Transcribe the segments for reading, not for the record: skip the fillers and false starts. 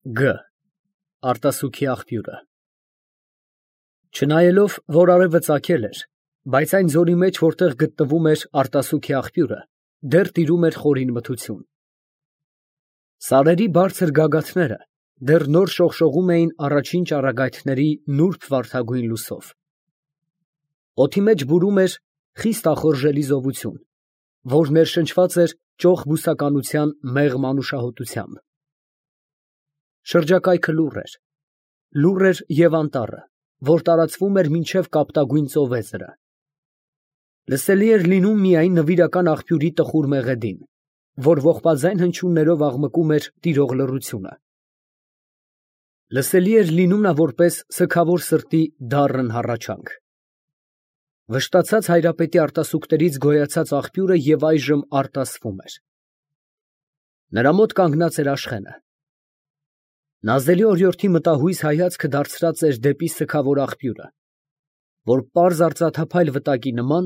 Գ. Արտասուքի աղբյուրը։ Չնայելով, որ արևը ծագել էր, բայց այն ձորի մեջ, որտեղ գտնվում էր արտասուքի աղբյուրը, դեռ տիրում էր խորին մթություն։ Սարերի բարձր գագաթները դեռ նոր շողշողում էին առաջին ճառագայթների նուրբ վարդագույն լուսով։ Օդի մեջ բուրում էր խիստ ախորժելի զովություն, որ ներշնչված էր ճոխ բուսականության մեղմ անուշահոտությամբ։ Շրջակայքը լուռ էր և անտառը, որ տարածվում էր մինչև կապտագույն ծովեզրը։ Լսելի էր լինում միայն նվիրական աղբյուրի տխուր մեղեդին, որ ողբաձայն հնչյուններով աղմկում էր տիրող լռությունը։ Լսելի էր լինում նա որպես սգավոր սրտի դառն հառաչանք։ Վշտացած հայրապետի արտասուքներից գոյացած աղբյուրը և այժմ արտասվում էր։ Նրա մոտ կանգնած էր Աշխենը։ Նազելի օրիորդի մտահույս հայացքը դարձրած էր դեպի սգավոր աղբյուրը, որ պարզ արծաթափայլ վտակի նման,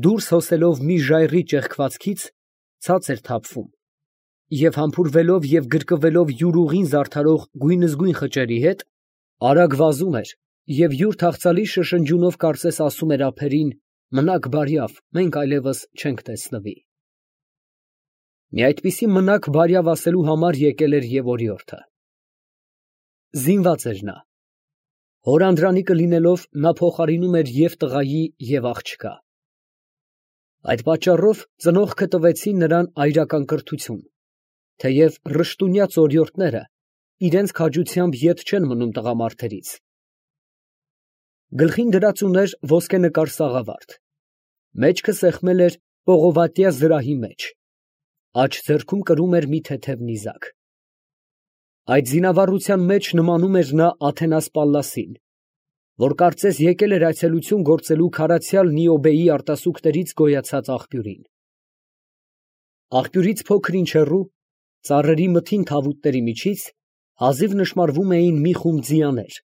դուրս հոսելով մի ժայռի ճեղքվածքից, ցած էր թափվում և համբուրվելով և գրկվելով յուր ուղին զարդարող գույնզգույն խճերի հետ, արագ վազում էր և յուր թախծալի շշնջյունով կարծես ասում էր ափերին. «Մնաք բարյավ, մենք այլևս չենք տեսնվի»։ Մի այդպիսի մնաք բարյավ ասելու համար եկել էր և օրիորդը։ Զինված էր նա։ Հոր անդրանիկը լինելով, նա փոխարինում էր և տղայի, և աղջկա։ Այդ պատճառով ծնողքը տվեցին նրան այրական կրթություն, թեև ռշտունյաց օրիորդները իրենց քաջությամբ ետ չեն մնում տղամարդերից։ Գլխին դրած ուներ ոսկենկար սաղավարտ, մեջքը սեղմել էր պողովատյա զրահի մեջ, աջ ձեռքում կրում էր մի թեթև նիզակ։ Այդ զինավառության մեջ նմանում էր նա Աթենաս Պալլասին, որ կարծես եկել էր այցելություն գործելու քարացյալ Նիոբեի արտասուքներից գոյացած աղբյուրին։ Աղբյուրից փոքր ինչ հեռու, ծառերի մթին թավուտների միջից, հազիվ նշմարվում էին մի խումբ ձիաներ,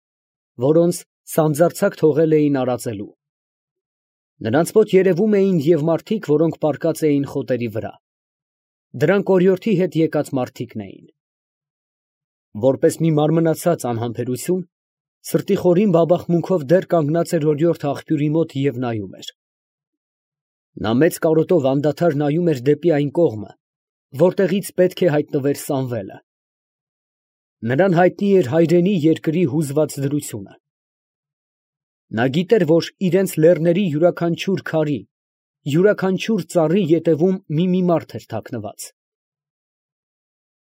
որոնց սանձարձակ թողել էին արածելու։ Նրանց մոտ երևում էին և մարդիկ, որոնք պառկած էին խոտերի վրա։ Դրանք օրիորդի հետ եկած մարդիկն էին։ Որպես մի մարմնացած անհամբերություն, սրտի խորին բաբախմունքով դեռ կանգնած էր օրիորդը աղբյուրի մոտ և նայում էր։ Նա մեծ կարոտով անդադար նայում էր դեպի այն կողմը, որտեղից պետք է հայտնվեր Սամվելը։ Նրան հայտնի էր հայրենի երկրի հուզված դրությունը։ Նա գիտեր, որ իրենց լեռների յուրաքանչյուր քարի, յուրաքանչյուր ծառի ետևում մի մարդ էր թաքնված։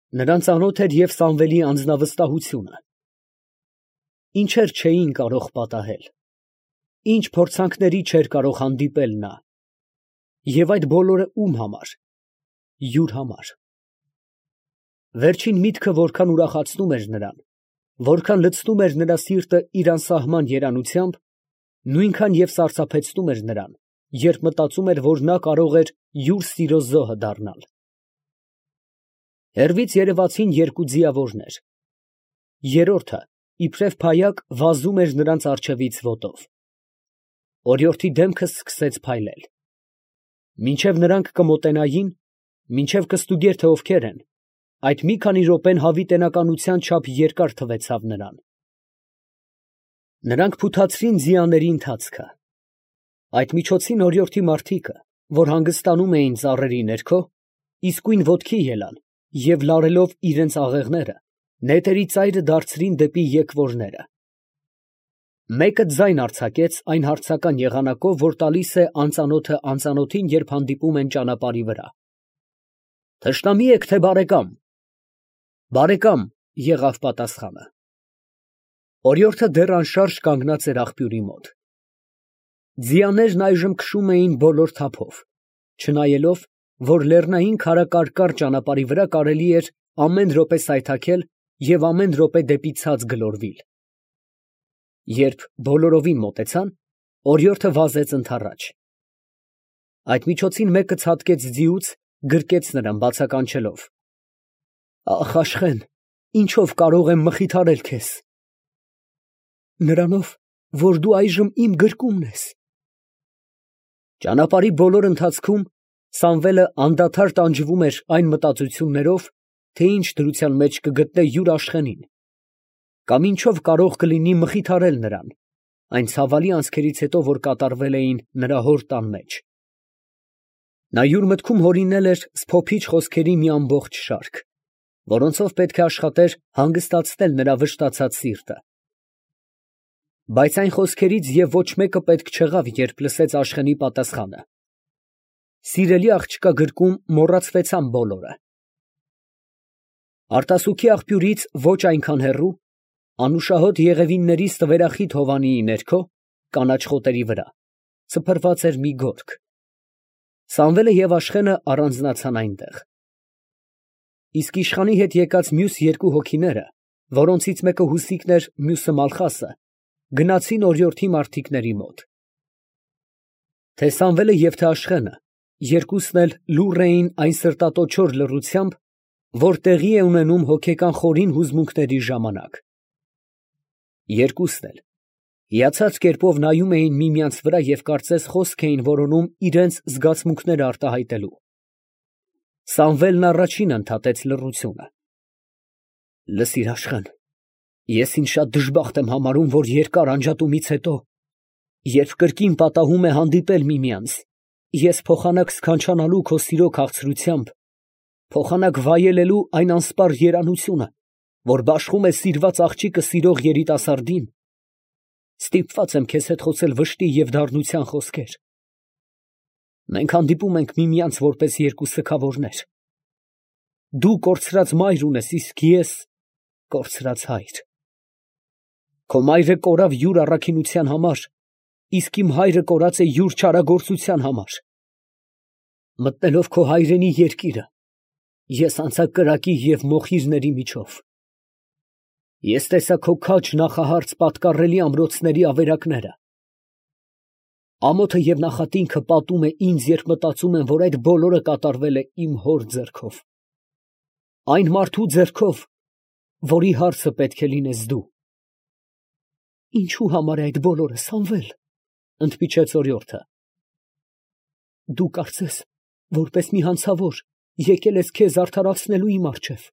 Նրան ծանոթ էր և Սամվելի անձնավստահությունը։ Ինչեր չէին կարող պատահել, ինչ փորձանքների չէր կարող հանդիպել նա։ Եվ այդ բոլորը ում համար։ Յուր համար։ Վերջին միտքը որքան ուրախացնում էր նրան, որքան լցնում էր նրա սիրտը իր անսահման երանությամբ, նույնքան և սարսափեցնում էր նրան, երբ մտածում էր, որ նա կարող էր յուր սիրո զոհը դառնալ։ Հեռվից երևացին երկու ձիավորներ։ Երրորդը, իբրև փայակ, վազում էր նրանց առջևից ոտով։ Օրիորդի դեմքը սկսեց փայլել։ Մինչև նրանք կմոտենային, մինչև կստուգեր, թե ովքեր են, այդ մի քանի րոպեն հավիտենականության չափ երկար թվեցավ նրան։ Նրանք փութացրին ձիաների ընթացքը։ Այդ միջոցին օրիորդի մարդիկը, որ հանգստանում էին ծառերի ներքո, իսկույն ոտքի ելան և լարելով իրենց աղեղները, նետերի ծայրը դարձրին դեպի եկվորները։ Մեկը ձայն արձակեց այն հարցական եղանակով, որ տալիս է անծանոթը անծանոթին, երբ հանդիպում են ճանապարհի վրա։ «Թշնամի եք, թե բարեկամ»։ «Բարեկամ» եղավ պատասխանը։ Օրիորդը դեռ անշարժ կանգնած էր աղբյուրի մոտ։ Ձիաներն այժմ քշում էին բոլոր թափով, չնայելով, որ լեռնային քարակարկառ ճանապարհի վրա կարելի էր ամեն րոպե սայթաքել և ամեն րոպե դեպի ցած գլորվել։ Երբ բոլորովին մոտեցան, օրիորդը վազեց ընդառաջ։ Այդ միջոցին մեկը ցատկեց ձիուց, գրկեց նրան բացականչելով. «Ախ, Աշխեն, ինչով կարող եմ մխիթարել քեզ»։ «Նրանով, որ դու այժմ իմ գրկումն ես»։ Ճանապարհի բոլոր ընթացքում Սամվելը անդադար տանջվում էր այն մտածություններով, թե ինչ դրության մեջ կգտնե յուր Աշխենին, կամ ինչով կարող կլինի մխիթարել նրան, այն ցավալի անցքերից հետո, որ կատարվել էին նրա հոր տան մեջ։ Նա յուր մտքում հորինել էր սփոփիչ խոսքերի մի ամբողջ շարք, որոնցով պետք է աշխատեր հանգստացնել նրա վշտացած սիրտը։ Բայց այն խոսքերից և ոչ մեկը պետք չեղավ, երբ լսեց Աշխենի պատասխանը։ Սիրելի աղջկա գրկում մոռացվեցան բոլորը։ Արտասուքի աղբյուրից ոչ այնքան հեռու, անուշահոտ եղևինների ստվերախիտ հովանիի ներքո, կանաչ խոտերի վրա, սփռված էր մի գորգ։ Սամվելը և Աշխենը առանձնացան այնտեղ։ Իսկ իշխանի հետ եկած մյուս երկու հոգիները, որոնցից մեկը Հուսիկն էր, մյուսը Մալխասը, գնացին օրիորդի մարդիկների մոտ։ Թե Սամվելը և թե Աշխենը, երկուսն էլ լուռ էին այն սրտատոչոր լռությամբ, որ տեղի է ունենում հոգեկան խորին հուզմունքների ժամանակ։ Երկուսն էլ հիացած կերպով նայում էին միմյանց վրա և կարծես խոսք էին որոնում իրենց զգացմունքները արտահայտելու։ Սամվելն առաջինը ընդհատեց լռությունը։ Լսիր, Աշխեն, ես ինձ շատ դժբախտ եմ համարում, որ երկար անջատումից հետո, երբ կրկին պատահում է հանդիպել միմյանց, ես փոխանակ սքանչանալու քո սիրո քաղցրությամբ, փոխանակ վայելելու այն անսպառ երանությունը, որ բաշխում է սիրված աղջիկը սիրող երիտասարդին, ստիպված եմ քեզ հետ խոսել վշտի և դառնության խոսքեր։ Մենք հանդիպում ենք միմյանց որպես երկու սգավորներ։ Դու կորցրած մայր ունես, իսկ ես կորցրած հայր։ Քո մայրը կորավ յուր առաքինության համար, իսկ իմ հայրը կորած է յուր չարագործության համար։ Մտնելով քո հայրենի երկիրը, ես անցա կրակի և մոխիրների միջով։ Ես տեսա քո քաջ նախահարց պատկառելի ամրոցների ավերակները։ Ամոթը և նախատինքը պատում է ինձ, երբ մտածում եմ, որ այդ բոլորը կատարվել է իմ հոր ձեռքով, այն մարդու ձեռքով, որի հարցը պետք է լինես դու։ Ինչու համար է այդ բոլորը, Սամվել, ընդմիջեց օրիորդը։ Դու կարծես, որպես մի հանցավոր, եկել ես քեզ արդարացնելու իմ առջև։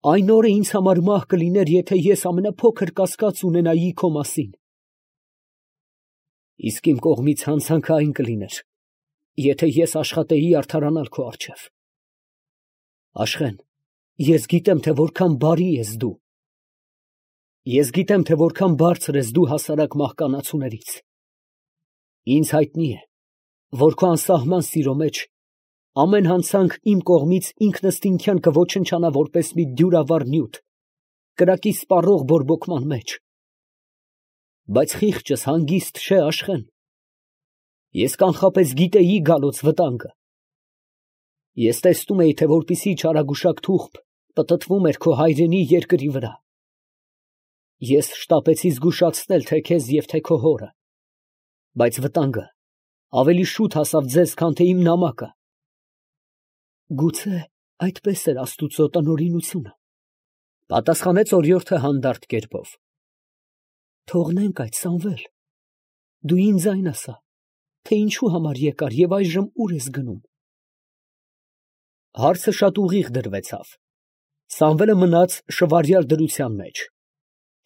Այն օրը ինձ համար մահ կլիներ, եթե ես ամենափոքր կասկած ունենայի քո մասին։ Իսկ իմ կողմից հանցանքը այն կլիներ, եթե ես աշխատեի արդարանալ քո առջև։ Աշխեն, ես գիտեմ, թե որքան բարի ես դու։ Ես գիտեմ, թե որքան բարձր ես դու հասարակ մահկանացուներից։ Ինձ հայտնի է, որ քո անսահման սիրո մեջ ամեն հանցանք իմ կողմից ինքնըստինքյան կոչնչանա որպես մի դյուրավառ նյութ, կրակի սպառող բորբոքման մեջ։ Բայց խիղճս հանգիստ չէ, Աշխեն։ Ես կանխապես գիտեի գալոց վտանգը։ Ես տեսնում էի, թե որպիսի չարագուշակ թուղթ պտտվում էր քո հայրենի երկրի վրա։ Ես շտապեցի զգուշացնել թե քեզ և թե քո հորը, բայց վտանգը ավելի շուտ հասավ ձեզ, քան թե իմ նամակը։ Գուցե այդպես էր Աստուծո տնօրինությունը, պատասխանեց օրիորդը հանդարտ կերպով։ Թողնենք այդ, Սամվել, դու ինձ այն ասա, թե ինչու համար եկար և այժմ ուր ես գնում։ Հարցը շատ ուղիղ դրվեցավ։ Սամվելը մնաց շվարյալ դրության մեջ,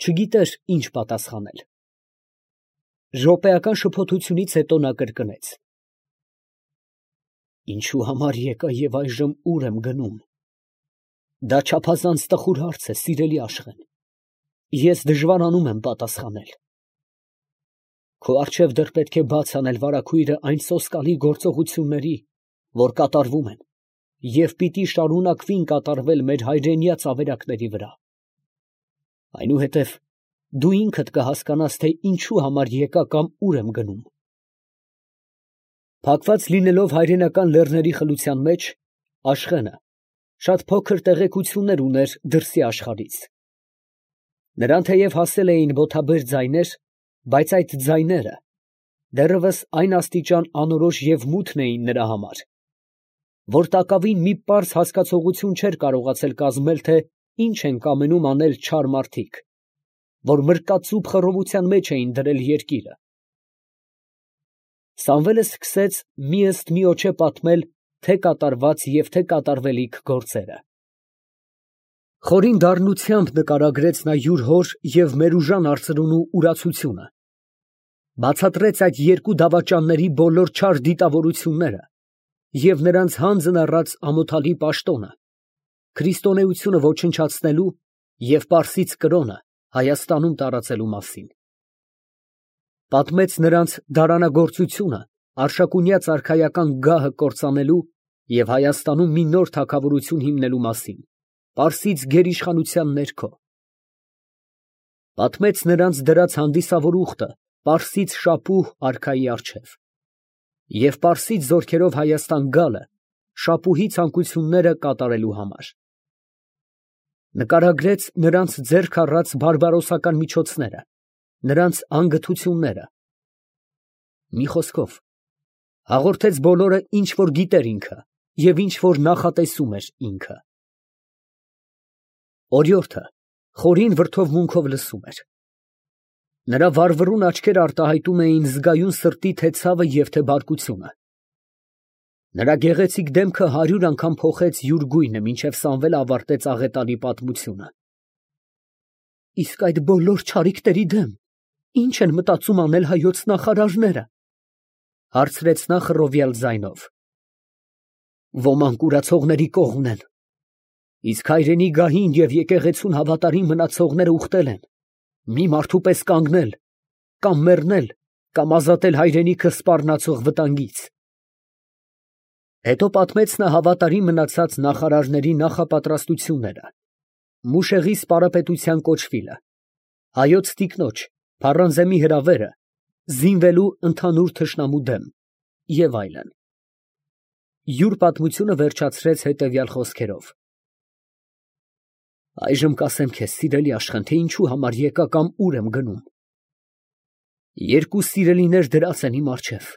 չգիտեր ինչ պատասխանել։ Րոպեական շփոթությունից հետո նա կրկնեց. Ինչու համար եկա և այժմ ուր եմ գնում։ Դա չափազանց տխուր հարց է, սիրելի Աշխեն։ Ես դժվարանում եմ պատասխանել։ Քո առջև դեռ պետք է բաց անել վարագույրը այն սոսկալի գործողությունների, որ կատարվում են և պիտի շարունակվին կատարվել մեր հայրենյաց ավերակների վրա։ Այնուհետև դու ինքդ կհասկանաս, թե ինչու համար եկա կամ ուր եմ գնում։ Փակված լինելով հայրենական լեռների խլության մեջ, Աշխենը շատ փոքր տեղեկություններ ուներ դրսի աշխարհից։ Նրան թեև հասել էին ոտաբեր ձայներ, բայց այդ ձայները դեռևս այն աստիճան անորոշ և մութն էին նրա համար, որ տակավին մի պարզ հասկացողություն չէր կարողացել կազմել, թե ինչ են կամենում անել չար մարդիկ, որ մրկածուփ խռովության մեջ էին դրել երկիրը։ Սամվելը սկսեց մի ըստ միոջե պատմել թե կատարված և թե կատարվելիք գործերը։ Խորին դառնությամբ նկարագրեց նա յուր հոր և Մերուժան արծրունու ուրացությունը, բացատրեց այդ երկու դավաճանների բոլոր չար դիտավորությունները և նրանց հանձն առած ամոթալի պաշտոնը, քրիստոնեությունը ոչնչացնելու և պարսից կրոնը Հայաստանում տարածելու մասին. պատմեց նրանց դարանագործությունը Արշակունյա արքայական գահը կործանելու և Հայաստանում մի նոր թագավորություն հիմնելու մասին, պարսից գերիշխանության ներքո, պատմեց նրանց դրած հանդիսավոր ուխտը պարսից շապուհ արքայի առջև և պարսից զորքերով Հայաստան գալը շապուհի ցանկությունները կատարելու համար, նկարագրեց նրանց ձեռք առած բարբարոսական միջոցները, նրանց անգթությունները, մի խոսքով, հաղորդեց բոլորը, ինչ որ գիտեր ինքը և ինչ որ նախատեսում էր ինքը։ Օրիորդը խորին վրդովմունքով լսում էր։ Նրա վառվռուն աչքերը արտահայտում էին զգայուն սրտի թե ցավը և թե բարկությունը։ Նրա գեղեցիկ դեմքը 100 անգամ փոխեց յուր գույնը, մինչև Սամվելը ավարտեց աղետալի պատմությունը։ Իսկ այդ բոլոր չարիքների դեմ ի՞նչ են մտածում անել հայոց նախարարները, հարցրեց նա խռովյալ ձայնով։ Ոմանք ուրացողների կողմն են, իսկ հայրենի գահին և եկեղեցուն հավատարիմ մնացողները ուխտել են մի մարդու պես կանգնել, կամ մեռնել, կամ ազատել հայրենիքը սպառնացող վտանգից։ Հետո պատմեց նա հավատարիմ մնացած նախարարների նախապատրաստությունները, Մուշեղի սպարապետության կոչվիլը, հայոց տիկնոջ Փառանզեմի հրավերը, զինվելու ընդհանուր թշնամու դեմ և այլն։ Յուր պատմությունը վերջացրեց հետևյալ խոսքերով. Այժմ կասեմ քեզ, սիրելի Աշխեն, թե ինչու համար եկա կամ ուր եմ գնում։ Երկու սիրելիներ դրած են իմ առջև.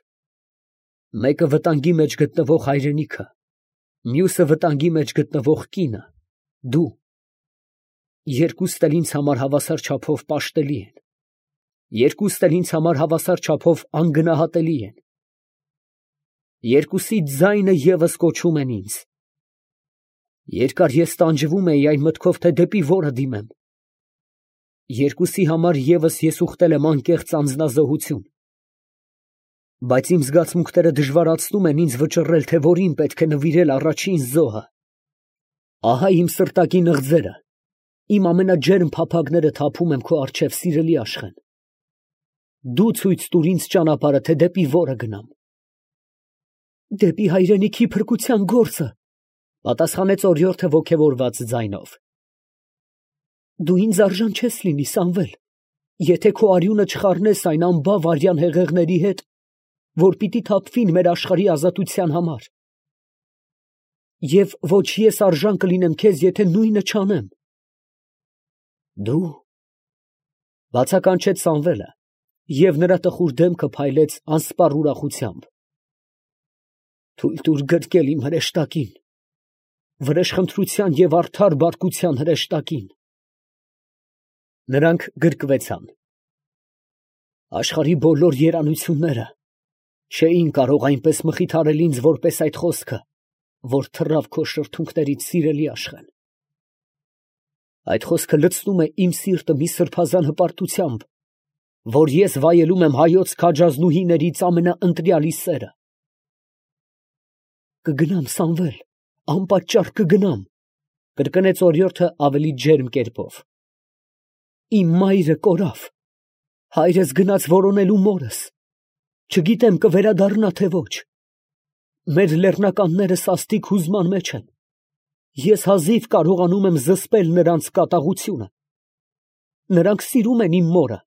մեկը վտանգի մեջ գտնվող հայրենիքը, մյուսը վտանգի մեջ գտնվող կինը, դու։ Երկուստ էլ ինձ համար հավասար չափով պաշտելի են, երկուստ էլ ինձ համար հավասար չափով անգնահատելի են։ Երկուսի ձայնը ևս կոչում են ինձ։ Երկար ես տանջվում էի այն մտքով, թե դեպի որը դիմեմ։ Երկուսի համար ևս ես ուխտել եմ անկեղծ անձնազոհություն։ Բայց իմ զգացմունքները դժվարացնում են ինձ վճռել, թե որին պետք է նվիրել առաջին զոհը։ Ահա իմ սրտակի նղձերը, իմ ամենաջերմ փափագները թափում եմ քո առջև, սիրելի Աշխեն։ Դու ցույց տուր ինձ ճանապարհը, թե դեպի որը գնամ։ Դեպի հայրենիքի փրկության գործը, պատասխանեց օրիորդը ոգևորված ձայնով։ Դու ինձ արժան չես լինի, Սամվել, եթե քո արյունը չխառնես այն անբավ արյան հեղեղների հետ, որ պիտի թափվին մեր աշխարհի ազատության համար։ Եվ ոչ ես արժան կլինեմ քեզ, եթե նույնը չանեմ։ Դու, բացականչեց Սամվելը, և նրա տխուր դեմքը փայլեց անսպառ ուրախությամբ։ Թույլ տուր գրկել իմ հրեշտակին, վրեժխնդրության և արդար բարկության հրեշտակին։ Նրանք գրկվեցան։ Աշխարհի բոլոր երանությունները չէին կարող այնպես մխիթարել ինձ, որպես այդ խոսքը, որ թռավ քո շրթունքներից, սիրելի Աշխեն։ Այդ խոսքը լցնում է իմ սիրտը մի սրբազան հպարտությամբ, որ ես վայելում եմ հայոց քաջազնուհիներից ամենաընտրյալի սերը։ Կգնամ, Սամվել, անպատճառ կգնամ, կրկնեց օրիորդը ավելի ջերմ կերպով։ Իմ մայրը կորավ, հայրս գնաց որոնելու մորս, չգիտեմ կվերադառնա թե ոչ։ Մեր լեռնականները սաստիկ հուզման մեջ են, ես հազիվ կարողանում եմ զսպել նրանց կատաղությունը։ Նրանք սիրում են իմ մորը։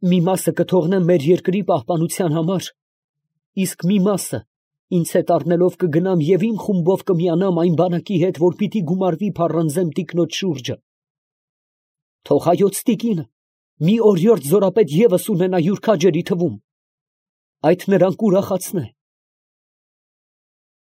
Մի մասը կթողնեմ մեր երկրի պահպանության համար, իսկ մի մասը ինձ հետ առնելով կգնամ և իմ խումբով կմիանամ այն բանակի հետ, որ պիտի գումարվի Փառանզեմ տիկնոջ շուրջը։ Թող հայոց տիկինը մի օրիորդ զորապետ ևս ունենա յուր քաջերի թվում, այդ նրան կուրախացնե։